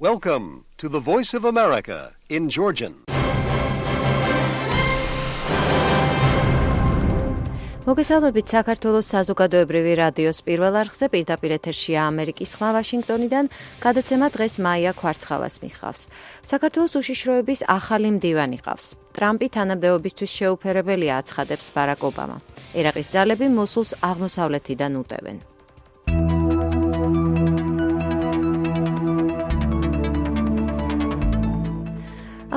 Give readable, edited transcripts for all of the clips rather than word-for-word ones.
Welcome to the Voice of America in Georgian. მოგესალმებით საქართველოს საზოგადოებრივი რადიოს პირველ არხზე პირდაპირ ეთერშია ამერიკის ხმა ვაშინგტონიდან, გადაცემა დღეს მაია ქვარცხავას მიჰყავს. საქართველოს უშიშროების ახალი მდივანი ყავს. ტრამპი თანამდებობისთვის შეუფერებელია აცხადებს ბარაკ ობამა. ერაყის ძალები მოსულს აღმოსავლეთიდან უტევენ.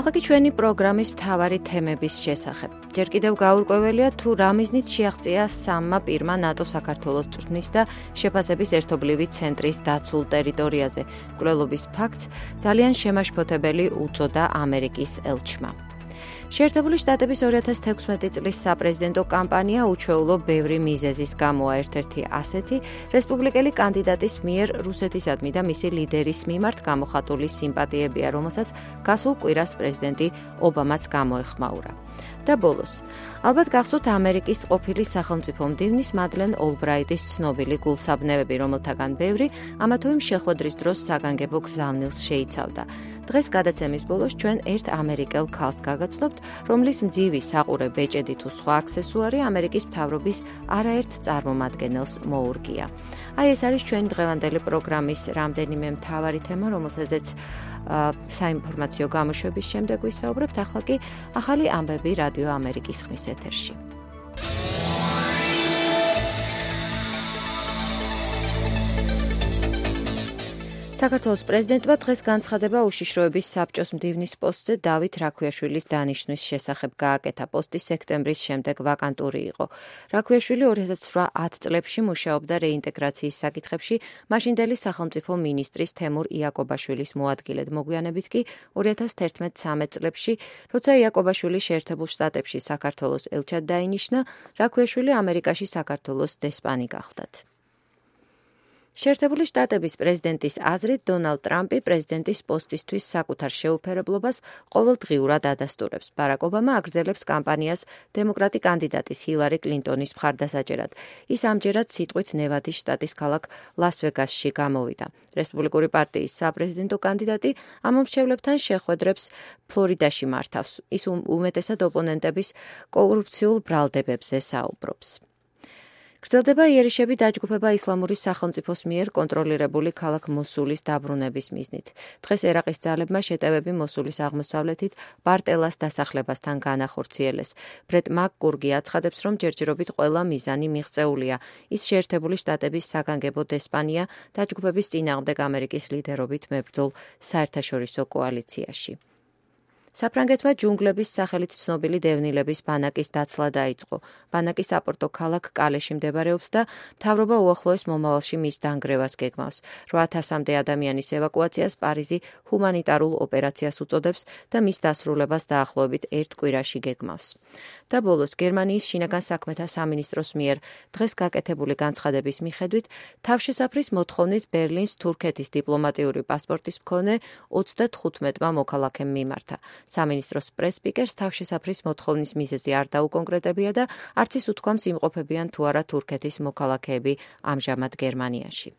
ახლა ჩვენი პროგრამის მთავარი თემების შესახებ. ჯერ კიდევ გაურკვეველია თუ რა მიზნით შეაღწია სამმა პირმა ნატო-საქართველოს წვრთნის და შეფასების ერთობლივი ცენტრის დაცულ ტერიტორიაზე. მკვლელობის ფაქტს ძალიან შემაშფოთებელი უწოდა ამერიკის ელჩმა. შეერთებული შტატების 2016 წლის საპრეზიდენტო კამპანია უჩვეულო ბევრი მიზეზის გამოა. ერთ-ერთი ასეთი რესპუბლიკელი კანდიდატის მიერ რუსეთისადმი და მისი ლიდერის მიმართ გამოხატული სიმპათიებია, რომელსაც გასულ კვირას პრეზიდენტი ობამაც გამოეხმაურა. და ბოლოს, ალბათ გახსოვთ ამერიკის ყოფილი სახელმწიფო მდივნის მადლენ ოლბრაიტის ცნობილი გულსაბნევები, რომელთაგან ბევრი ამა თუ იმ შეხვედრის დროს საგანგებო გზავნილს შეიცავდა. დღეს გადაცემის ბოლოს ჩვენ ერთ ამერიკელ ქალს გაგაცნობთ, რომლის მძივი საყურე ბეჭედი თუ სხვა აქსესუარი ამერიკის მთავრობის არაერთ წარმომადგენელს მოურგია. აი ეს არის ჩვენი დღევანდელი პროგრამის რამდენიმე მთავარი თემა, რომელზეც საინფორმაციო გამოშვების შემდეგ ვისაუბრებთ. ახლა კი ახალი ამბები რადიო ამერიკის ხმის ეთერში. საქართველოს პრეზიდენტმა დღეს განცხადება უშიშროების საბჭოს მდივნის პოსტზე დავით რაქვიაშვილის დანიშვნის შესახებ გააკეთა. პოსტი სექტემბრის შემდეგ ვაკანტური იყო. რაქვიაშვილი 2008 წლებში მუშაობდა რეინტეგრაციის საკითხებში მაშინდელი სახელმწიფო მინისტრის თემურ იაკობაშვილის მოადგილედ. მოგვიანებით კი 2011-13 წლებში, როცა იაკობაშვილი შეერთებულ შტატებში საქართველოს ელჩად დაინიშნა, რაქვიაშვილი ამერიკაში საქართველოს დესპანი გახლდათ. შეერთებული შტატების პრეზიდენტის აზრით, დონალდ ტრამპი პრეზიდენტის პოსტისთვის საკუთარ შეუფერებლობას ყოველდღიურად ადასტურებს. ბარაკ ობამა აგრძელებს კამპანიას დემოკრატი კანდიდატის ჰილარი კლინტონის მხარდასაჭერად. ის ამჯერად სიტყვით ნევადის შტატის ქალაქ ლას-ვეგასში გამოვიდა. რესპუბლიკური პარტიის საპრეზიდენტო კანდიდატი ამომრჩევლებთან შეხვედრებს ფლორიდაში მართავს. ის უმეტესად ოპონენტების კორუფციულ ბრალდებებზე საუბრობს. გრძელდება იერიშები დაჯგუფება ისლამური სახელმწიფოს მიერ კონტროლირებული ქალაქ მოსულის დაბრუნების მიზნით. დღეს ერაყის ძალებმა შეტევები მოსულის აღმოსავლეთით ბარტელას დასახლებასთან განახორციელეს. ბრეტ მაკგურგი აცხადებს, რომ ჯერჯერობით ყველა მიზანი მიღწეულია. ის შეერთებული შტატების საგანგებო დესპანია დაჯგუფების წინააღმდეგ ამერიკის ლიდერობით მებრძოლ საერთაშორისო კოალიციაში. საფრანგეთმა ჯუნგლების სახელით ცნობილი დევნილების ბანაკის დაცლა დაიწყო. ბანაკი საპორტო ქალაქ კალეში მდებარეობს და მთავრობა უახლოეს მომავალში მის დანგრევას გეგმავს. 8000-მდე ადამიანის ევაკუაციას პარიზი ჰუმანიტარულ ოპერაციას უწოდებს და მის დასრულებას დაახლოებით ერთ კვირაში გეგმავს. და ბოლოს, გერმანიის შინაგან საქმეთა სამინისტროს მიერ დღეს გაკეთებული განცხადების მიხედვით, თავშესაფრის მოთხოვნით ბერლინს თურქეთის დიპლომატიური პასპორტის მქონე 35-მა მოქალაქემ მიმართა. სამინისტროს პრეს-სპიკერს თავშესაფრის მოთხოვნის მიზეზი არ დაუკონკრეტებია და არც ის უთქვამს იმყოფებიან თუ არა თურქეთის მოქალაქეები ამჟამად გერმანიაში.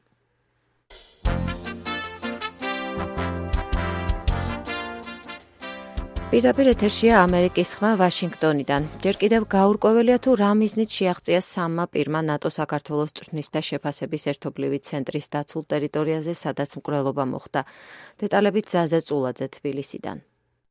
პირდაპირ ეთერშია ამერიკის ხმა ვაშინგტონიდან. ჯერ კიდევ გაურკვეველია თუ რა მიზნით შეაღწია სამმა პირმა ნატო-საქართველოს წვრთნის და შეფასების ერთობლივი ცენტრის დაცულ ტერიტორიაზე, სადაც მკვლელობა მოხდა. დეტალებით ზაზე წულაძე თბილისიდან.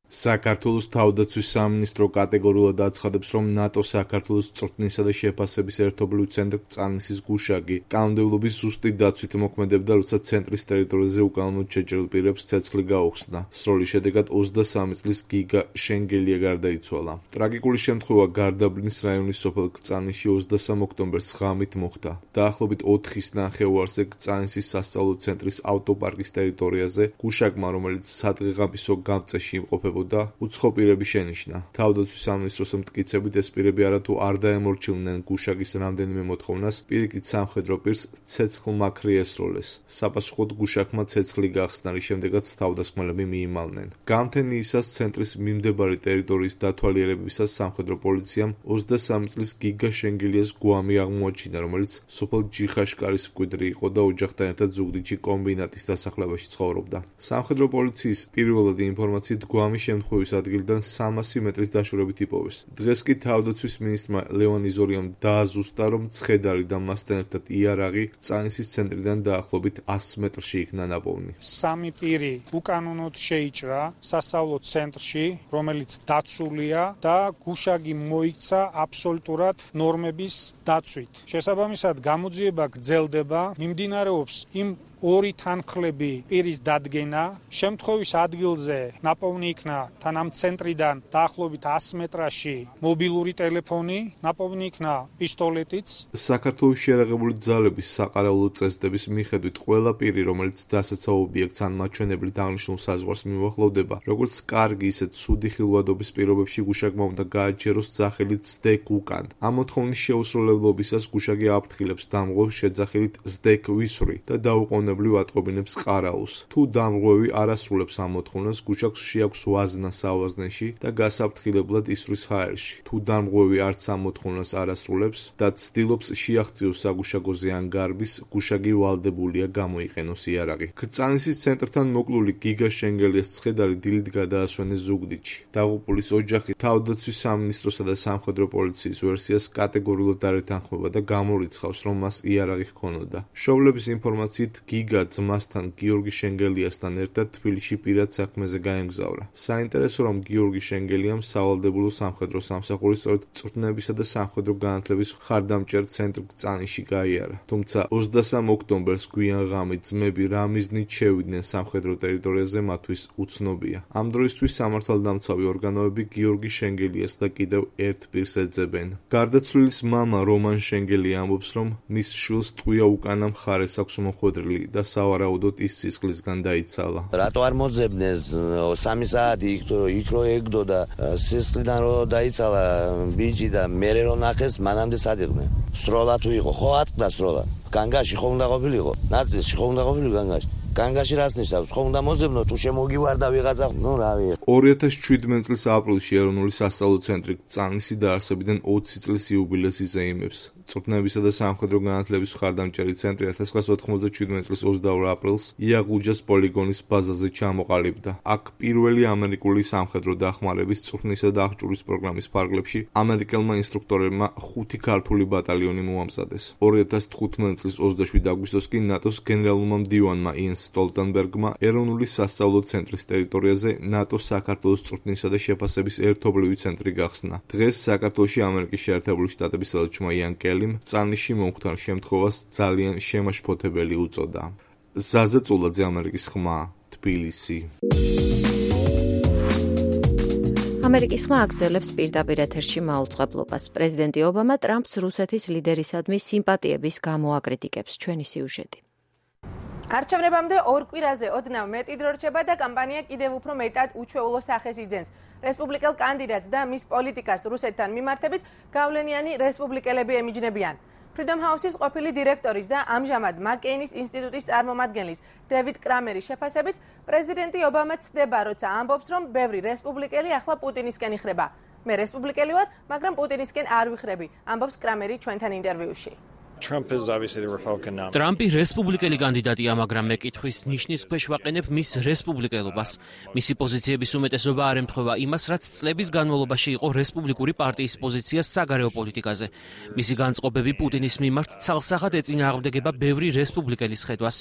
საქართველოს თავდაცვის სამინისტრო კატეგორიულად აცხადებს, რომ ნატო-საქართველოს წვრთნისა და შეფასების ერთობლივი ცენტრი წანისის გუშაგი კანონმდებლობის ზუსტი დაცვით მოქმედებდა, როცა ცენტრის ტერიტორიაზე უკანონოდ შეჭრილ პირებს ცეცხლი გაუხსნა. სროლის შედეგად 23 წლის გიგა შენგელია გარდაიცვალა. ტრაგიკული შემთხვევა გარდაბლინის რაიონის სოფელ კწანისში 23 ოქტომბერს ღამით მოხდა. დაახლოებით 4-ის ნახევარზე კწანისის სასწავლო ცენტრის ავტოპარკის ტერიტორიაზე გუშაგმა, რომელიც სადღეღამისო გამწეში იმყოფება ემსახურებოდა, უცხო პირები შენიშნა. თავდაცვის სამინისტროს მტკიცებით ეს პირები არათუ არ დაემორჩილნენ გუშაგის რამდენიმე მოთხოვნას, პირიქით სამხედრო პირს ცეცხლმაქრი ესროლეს. საპასუხოდ გუშაგმა ცეცხლი გახსნა, რის შემდეგაც თავდასხმელები მიიმალნენ. გამთენიისას ცენტრის მიმდებარი ტერიტორიის დათვალიერებისას სამხედრო პოლიციამ 23 წლის გიგა შენგელიას გვამი აღმოაჩინა, რომელიც სოფელ ჯიხაშკარის მკვიდრი იყო და ოჯახთან ერთად ზუგდიდში კომბინატის დასახლებაში ცხოვრობდა. სამხედრო პოლიციის პირველადი ინფორმაციით გვამი შემთხვევის ადგილიდან 300 მეტრის დაშორებით იპოვეს. დღეს კი თავდაცვის მინისტრმა ლევან იზორიამ დააზუსტა, რომ ცხედარი და მასთან ერთად იარაღი წანისის ცენტრიდან დაახლოებით 100 მეტრში იქნა ნაპოვნი. სამი პირი უკანონოდ შეიჭრა სასწავლო ცენტრში, რომელიც დაცულია და გუშაგი მოიქცა აბსოლუტურად ნორმების დაცვით. შესაბამისად, გამოძიება გრძელდება, მიმდინარეობს იმ ორი თანხლები პირის დადგენა, შემთხვევის ადგილზე ნაპოვნი იქნა თან ამ ცენტრიდან დაახლოებით 100 მეტრაში მობილური ტელეფონი, ნაპოვნი იქნა პისტოლეტიც. საქართველოს შეიარაღებული ძალების საყარაულო წესდების მიხედვით ყველა პირი, რომელიც დასაცავ ობიექტს ან მაჩვენებლით აღნიშნულ საზღვარს მიუახლოვდება, როგორც კარგი, ისე ცუდი ხილვადობის პირობებში გუშაგმა უნდა გააჩეროს სახელით SDEC უკან. ამ მოთხოვნის შეუსრულებლობისას გუშაგი აფრთხილებს დამღვრევს შეძახილით SDEC ვისვრი და დაუყოვნებლივ ატყობინებს ყარაულს. თუ დამღვრევი არ ასრულებს ამ მოთხოვნას, გუშაგს შეაქვს ვაზნა საავაზნეში და გასაფრთხილებლად ისვრის ჰაერში. თუ დამღვრევი არც ამ მოთხოვნას არ ასრულებს და ცდილობს შეაღწიოს საგუშაგოზე ან გარბის, გუშაგი ვალდებულია გამოიყენოს იარაღი. კრწანისის ცენტრთან მოკლული გიგა შენგელიას ცხედარი დილით გადაასვენეს ზუგდიდში. დაღუპულის ოჯახი თავდაცვის სამინისტროსა და სამხედრო პოლიციის ვერსიას კატეგორიულად არ ეთანხმება და გამორიცხავს, რომ მას იარაღი ჰქონოდა. მშობლების ინფორმაციით გიგა ძმასთან გიორგი შენგელიასთან ერთად თბილისში პირად საქმეზე გაემგზავრა. საინტერესო, რომ გიორგი შენგელიამ სავალდებულო სამხედრო სამსახური სწორედ წვრთნებისა და სამხედრო განათლების მხარდამჭერ ცენტრ კრწანისში გაიარა. თუმცა 23 ოქტომბერს გვიან ღამით ძმები რა მიზნით შევიდნენ სამხედრო ტერიტორიაზე, მათთვის უცნობია. ამ დროისთვის სამართალდამცავი ორგანოები გიორგი შენგელიას და კიდევ ერთ პირს ეძებენ. გარდაცვლილის მამა რომან შენგელია ამბობს, რომ მის შვილს ტყვია უკანა მხარეს აქვს მოხვედრილი და სავარაუდოდ ის სისხლისგან დაიცალა. რატო არ მოძებნეს 3 საათი იქ რო ეგდო და სისხლიდან რო დაიცალა ბიჭი და მერე რო ნახეს მანამდე სადიღდნენ. სროლა თუ იყო, ხო ატყდა სროლა. განგაში ხო უნდა ყოფილიყო, ნაწილში ხო უნდა ყოფილიყო განგაში. განგაში რას ნიშნავს? ხო უნდა მოძებნო თუ შემოგივარდა ვიღაცა, რავი. 2017 წლის აპრილში ეროვნული სასწავლო ცენტრი კრწანისი დაარსებიდან 20 წლის იუბილეს იზეიმებს. წვრთნებისა და სამხედრო განათლების მხარდამჭერი ცენტრი 1997 წლის 22 აპრილს იაღუჯას პოლიგონის ბაზაზე ჩამოყალიბდა. აქ პირველი ამერიკული სამხედრო დახმარების წვრთნისა და აღჭურის პროგრამის ფარგლებში ამერიკელმა ინსტრუქტორებმა 5 ქართული ბატალიონი მოამზადეს. 2015 წლის 27 აგვისტოს კი ნატოს გენერალურმა მდივანმა იენს სტოლტენბერგმა ეროვნული სასწავლო ცენტრის ტერიტორიაზე ნატოს საქართველოს წვრთნისა და შეფასების ერთობლივი ცენტრი გახსნა. დღეს საქართველოში ამერიკის შეერთებული შტატების ელჩმა იან კელიმ წანიში მომხდარ შემთხვევას ძალიან შემაშფოთებელი უწოდა. ზაზა წულაძე, ამერიკის ხმა, თბილისი. ამერიკის ხმა აგრძელებს პირდაპირ ეთერში მაუწყებლობას. პრეზიდენტი ობამა ტრამპს რუსეთის ლიდერისადმი სიმპათიების გამო აკრიტიკებს. ჩვენი სიუჟეტი. არჩევნებამდე ორ კვირაზე ოდნავ მეტი დრო რჩება და კამპანია კიდევ უფრო მეტად უჩვეულო სახეს იძენს. რესპუბლიკელ კანდიდატს და მის პოლიტიკას რუსეთთან მიმართებით გავლენიანი რესპუბლიკელები ემიჯნებიან. Freedom House-ის ყოფილი დირექტორის და ამჟამად მაკეინის ინსტიტუტის წარმომადგენლის დევიდ კრამერის შეფასებით, პრეზიდენტი ობამა ცდება, როცა ამბობს, რომ ბევრი რესპუბლიკელი ახლა პუტინისკენ იხრება. მე რესპუბლიკელი ვარ, მაგრამ პუტინისკენ არ ვიხრები, ამბობს კრამერი ჩვენთან ინტერვიუში. ტრამპი რესპუბლიკელი კანდიდატია, მაგრამ მე კითხვის ნიშნის ქვეშ ვაყენებ მის რესპუბლიკელობას. მისი პოზიციების უმეტესობა არ ემთხვევა იმას, რაც წლების განმავლობაში იყო რესპუბლიკური პარტიის პოზიცია საგარეო პოლიტიკაზე. მისი განწყობები პუტინის მიმართ ცალსახად ეწინააღმდეგება ბევრი რესპუბლიკელის ხედვას.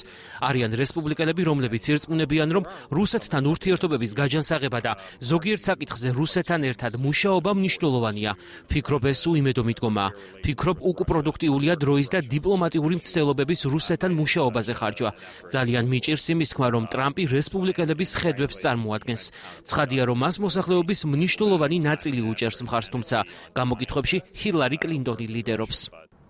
არიან რესპუბლიკელები, რომლებიც ირწმუნებიან, რომ რუსეთთან ურთიერთობების გაჯანსაღება და ზოგიერთ საკითხზე რუსეთთან ერთად მუშაობა მნიშვნელოვანია. ფიქრობ, ეს უიმედო მიდგომაა. ფიქრობ, უკუპროდუქტიულია დროის და დიპლომატიური მცდელობების რუსეთთან მუშაობაზე ხარჯვა. ძალიან მიჭირს იმის თქმა, რომ ტრამპი რესპუბლიკელების ხედვებს წარმოადგენს. ცხადია, რომ მას მოსახლეობის მნიშვნელოვანი ნაწილი უჭერს მხარს, თუმცა გამოკითხვებში ჰილარი კლინტონი ლიდერობს.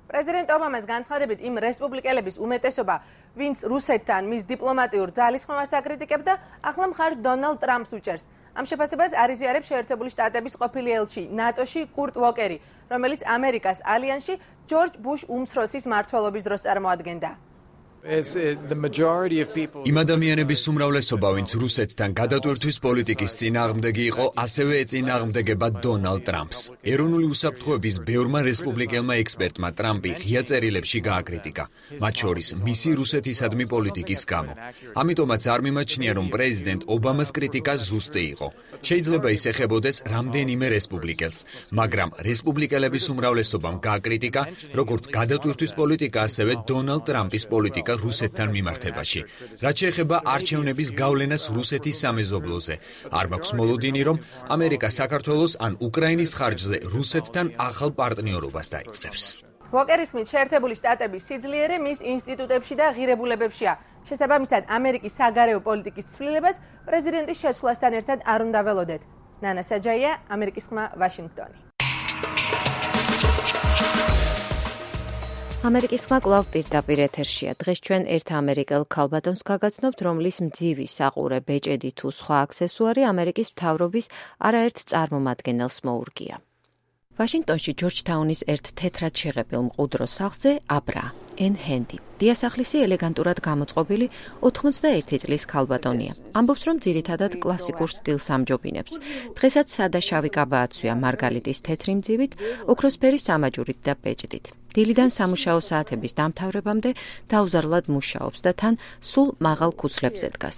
პრეზიდენტ ობამას განცხადებით იმ რესპუბლიკელების უმეტესობა, ვინც რუსეთთან მის დიპლომატიურ ძალისხმევას აკრიტიკებდა, ახლა მხარს დონალდ ტრამპს უჭერს. ამ შეფასებას არიზიარებს შეერთებული შტატების ყოფილი ელჩი ნატოში კურტ ვოკერი, რომელიც ამერიკას ალიანსში ჯორჯ ბუშ უმცროსის მმართველობის დროს წარმოადგენდა. იმ ადამიანების უმრავლესობა, ვინც რუსეთთან გადატვირთვის პოლიტიკის წინააღმდეგი იყო, ასევე ეწინააღმდეგება დონალდ ტრამპს. ეროვნული უსაფრთხოების ბევრმა რესპუბლიკელმა ექსპერტმა ტრამპი ღია წერილებში გააკრიტიკა, მათ შორის მისი რუსეთისადმი პოლიტიკის გამო. ამიტომაც არ მიმაჩნია, რომ პრეზიდენტ ობამას კრიტიკა ზუსტი იყო. შეიძლება ის ეხებოდეს რამდენიმე რესპუბლიკელს, მაგრამ რესპუბლიკელების უმრავლესობამ გააკრიტიკა როგორც გადატვირთვის პოლიტიკა, ასევე დონალდ ტრამპის პოლიტიკა რუსეთთან მიმართებაში. რაც შეეხება არჩევნების გავლენას რუსეთის სამეზობლოზე, არ მაქვს მოლოდინი, რომ ამერიკა საქართველოს ან უკრაინის ხარჯზე რუსეთთან ახალ პარტნიორობას დაიწყებს. ვოკერის მით შეერთებული შტატების სიძლიერე მის ინსტიტუტებში და ღირებულებებშია. შესაბამისად, ამერიკის საგარეო პოლიტიკის ცვლილებას პრეზიდენტის შეცვლასთან ერთად არ უნდა ველოდეთ. ნანა საჯაია, ამერიკის ხმა, ვაშინგტონი. ამერიკის ხმა კვლავ პირდაპირ ეთერშია. დღეს ჩვენ ერთ ამერიკელ ქალბატონს გაგაცნობთ, რომლის მძივი საყურე, ბეჭედი თუ სხვა აქსესუარი ამერიკის მთავრობის არაერთ წარმომადგენელს მოურგია. ვაშინგტონში ჯორჯთაუნის ერთ თეთრად შეღებილ მყუდრო სახლზე აბრა ენ ჰენდი. დიასახლისი ელეგანტურად გამოწყობილი 81 წლის ქალბატონია. ამბობს, რომ ძირითადად კლასიკურ სტილს ამჯობინებს. დღესაც სადა შავი კაბა აცვია მარგალიტის თეთრი მძივით, ოქროსფერი სამაჯურით და ბეჭდით. დილიდან სამუშაო საათების დამთავრებამდე დაუზარლად მუშაობს და თან სულ მაღალ ქუცლებზე დგას.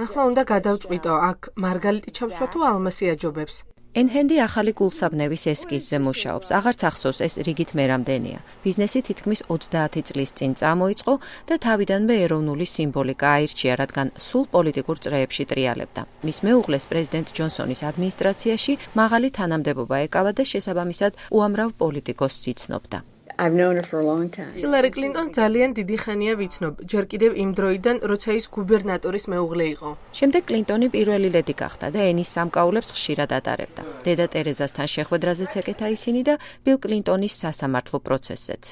ახლა უნდა გადავწყვიტო, აქ მარგალიტი ჩავსვა თუ ალმასი აჯობებს. ენ-ჰენდი ახალი გულსაბნევის ესკიზზე მუშაობს. აღარც ახსოვს, ეს რიგით მერამდენია. ბიზნესი თითქმის 30 წლის წინ წამოიწყო და თავიდანვე ეროვნული სიმბოლიკა აირჩია, რადგან სულ პოლიტიკურ წრეებში ტრიალებდა. მის მეუღლეს პრეზიდენტ ჯონსონის ადმინისტრაციაში მაღალი თანამდებობა ეკავა და შესაბამისად უამრავ პოლიტიკოსს იცნობდა. ჰილარი კლინტონს ძალიან დიდი ხანია ვიცნობ, ჯერ კიდევ იმ დროიდან, როცა ის გუბერნატორის მეუღლე იყო. შემდეგ კლინტონი პირველი ლედი გახდა და ენის სამკაულებს ხშირად ატარებდა. დედა ტერეზასთან შეხვედრაზეც ეკეთა ისინი და ბილ კლინტონის სასამართლო პროცესზეც.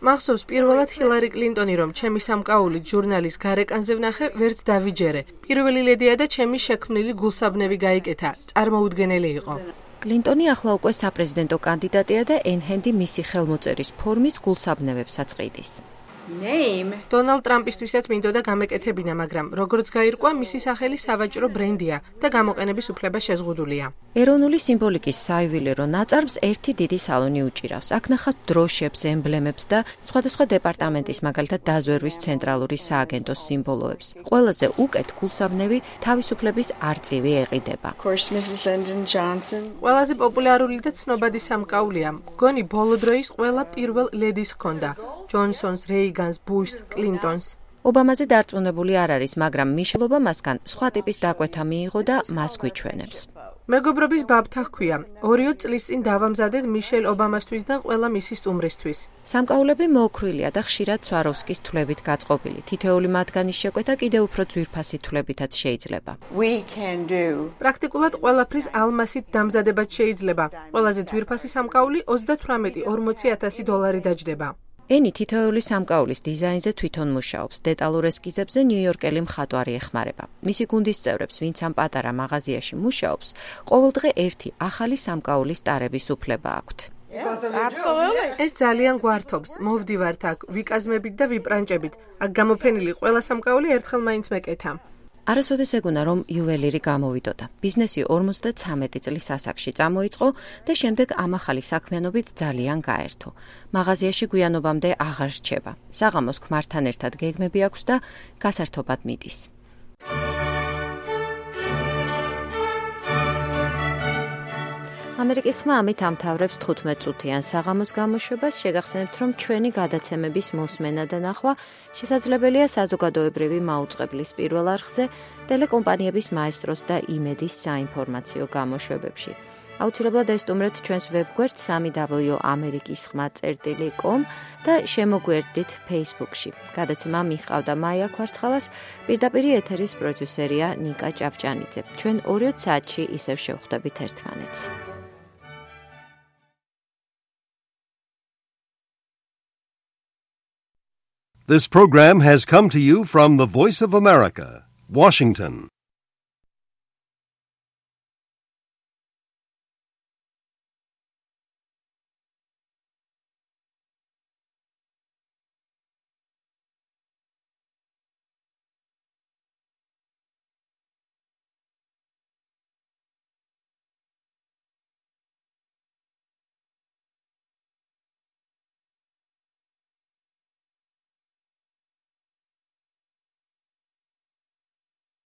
მახსოვს პირველად ჰილარი კლინტონი, რომ ჩემი სამკაულით ჟურნალის გარეკანზე ვნახე, ვერც დავიჯერე. პირველი ლედია და ჩემი შექმნილი გულსაბნევი გაიკეთა. წარმოუდგენელი იყო. კლინტონი ახლა უკვე საპრეზიდენტო კანდიდატია და ენ-ჰენდი მისი ხელმოწერის ფორმის გულსაბნევებსაც ყიდის. დონალდ ტრამპისთვისაც მინდოდა გამეკეთებინა, მაგრამ როგორც გაირკვა, მისი სახელი სავაჭრო ბრენდია და გამოყენების უფლება შეზღუდულია. ეროვნული სიმბოლიკის საიუველირო ნაწარმს ერთი დიდი სალონი უჭირავს. აქ ნახავთ დროშებს, ემბლემებს და სხვადასხვა დეპარტამენტის, მაგალითად დაზვერვის ცენტრალური სააგენტოს სიმბოლოებს. ყველაზე უკეთ გულსაბნევი თავისუფლების არწივი ეყიდება. ყველაზე პოპულარული და ცნობადი სამკაულია. მგონი ბოლო დროის ყველა პირველ ლედის ჰქონდა. ჯონსონს, რეიგანს, ბუშს, კლინტონს. ობამაზე დარწმუნებული არ არის, მაგრამ მიშელ ობამასგან სხვა ტიპის დაკვეთა მიიღო და მას გვიჩვენებს. მეგობრობის ბაბთა ჰქვია. 2 წლის წინ დავამზადეთ მიშელ ობამასთვის და ყველა მისი სტუმრისთვის. სამკაულები მოოქრვილია და ხშირად სვაროვსკის თვლებით გაწყობილი. თითოეული მათგანის შეკვეთა კიდევ უფრო ძვირფასი თვლებითაც შეიძლება. პრაქტიკულად ყველაფრის ალმასით დამზადებაც შეიძლება. ყველაზე ძვირფასი სამკაული $38,000 დაჯდება. ენი თითოეული სამკაულის დიზაინზე თვითონ მუშაობს. დეტალურ ესკიზებზე ნიუ-იორკელი მხატვარი ეხმარება. მისი გუნდის წევრებს, ვინც ამ პატარა მაღაზიაში მუშაობს, ყოველდღე ერთი ახალი სამკაულის ტარების უფლება აქვთ. ეს ძალიან გვართობს. მოვდივართ აქ ვიკაზმებით და ვიბრანჭებით. აქ გამოფენილი ყველა სამკაული ერთხელ მაინც მეკეთა. არასოდეს ეგონა, რომ იუველირი გამოვიდოდა. ბიზნესი 53 წლის ასაკში წამოიწყო და შემდეგ ამ ახალი საქმიანობით ძალიან გაერთო. მაღაზიაში გვიანობამდე აღარ რჩება. საღამოს ქმართან ერთად გეგმები აქვს და გასართობად მიდის. ამერიკის ხმა ამით ამთავრებს 15 წუთიან საღამოს გამოშვებას. შეგახსენებთ, რომ ჩვენი გადაცემების მოსმენა და ნახვა შესაძლებელია საზოგადოებრივი მაუწყებლის პირველ არხზე, ტელეკომპანიების მაესტროს და იმედის საინფორმაციო გამოშვებებში. აუცილებლად ესტუმრეთ ჩვენს ვებგვერდს www.amerikiskhma.com და შემოგვერდით Facebook-ში. გადაცემა მიჰყავდა მაია ქვარცხალას, პირდაპირ ეთერის პროდიუსერია ნიკა ჭავჭანიძე. ჩვენ 2 საათში ისევ შევხვდებით ერთმანეთს. This program has come to you from the Voice of America, Washington.